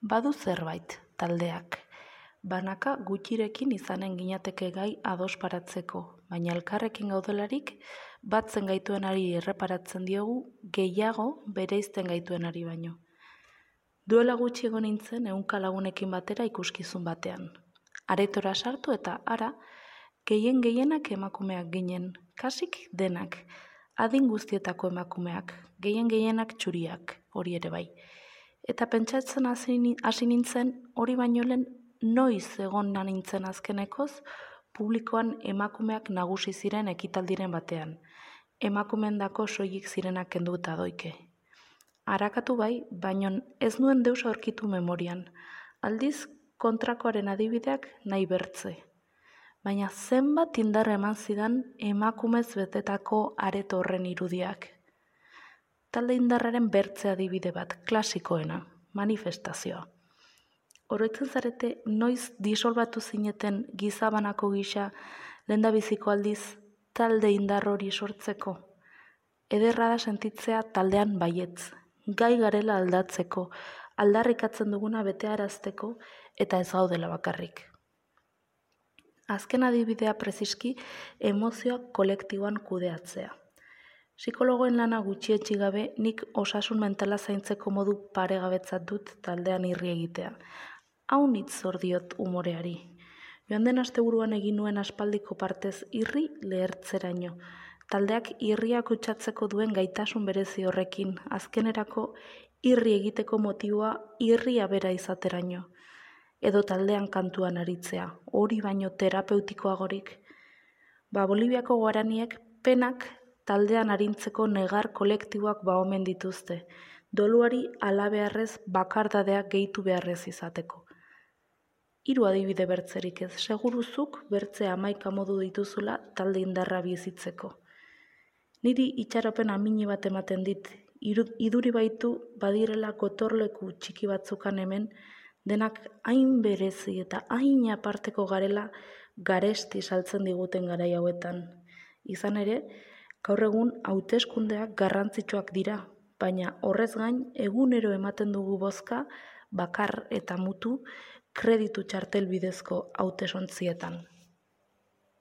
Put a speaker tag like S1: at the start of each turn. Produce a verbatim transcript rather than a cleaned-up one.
S1: Badu zerbait, taldeak. Banaka gutxirekin izanen ginateke gai ados paratzeko, baina elkarrekin gaudelarik, batzen gaituenari erreparatzen diogu gehiago bereizten gaituenari baino. Duela gutxi egon nintzen ehunka lagunekin batera ikuskizun batean. Aretora sartu eta ara, gehien gehienak emakumeak ginen, kasik denak, adin guztietako emakumeak, gehien gehienak txuriak, hori ere bai. Eta pentsatzen hasi hasi nintzen hori baino lehen noiz egon nintzen azkenekoz publikoan emakumeak nagusi ziren ekitaldiren batean. Emakumeendako soilik zirenak kenduta doike. Arakatu bai, baino ez nuen deus aurkitu memorian. Aldiz kontrakoaren adibideak nahi bertze. Baina zenbat indar eman zidan emakumez betetako areto horren irudiak. Talde indarraren bertze adibide bat, klasikoena, manifestazioa. Oroitzen zarete noiz disolbatu zineten gizabanako gisa lehendabiziko aldiz talde indar hori sortzeko. Ederra da sentitzea taldean baietz, gai garela aldatzeko, aldarrikatzen duguna betearazteko eta ez gaudela bakarrik. Azken adibidea preziski emozioak kolektiboan kudeatzea. Psikologoen lana gutxietsi gabe nik osasun mentala zaintzeko modu paregabetzat dut taldean irri egitea. Hau nitz zor diot umoreari. Joan den asteburuan egin nuen aspaldiko partez irri lehertzeraino. Taldeak irriak kutsatzeko duen gaitasun berezi horrekin, azkenerako irri egiteko motiboa irria bera izateraino. Edo taldean kantuan aritzea, hori baino terapeutikoagorik. Ba Boliviako guaraniek penak taldean arintzeko negar kolektiboak ba omen dituzte, doluari alabeharrez bakardadeak gehitu beharrez izateko. Hiru adibide bertzerik ez, seguruzuk bertze hamaika modu dituzula talde indarra bizitzeko. Niri itxaropen amini bat ematen dit, iduri baitu badirela gotorleku txiki batzukan hemen, denak hain berezi eta hain aparteko garela garesti saltzen diguten garai hauetan. Izan ere, gaur egun hauteskundeak garrantzitsuak dira, baina horrez gain egunero ematen dugu bozka bakar eta mutu kreditu txartel bidezko hautesontzietan.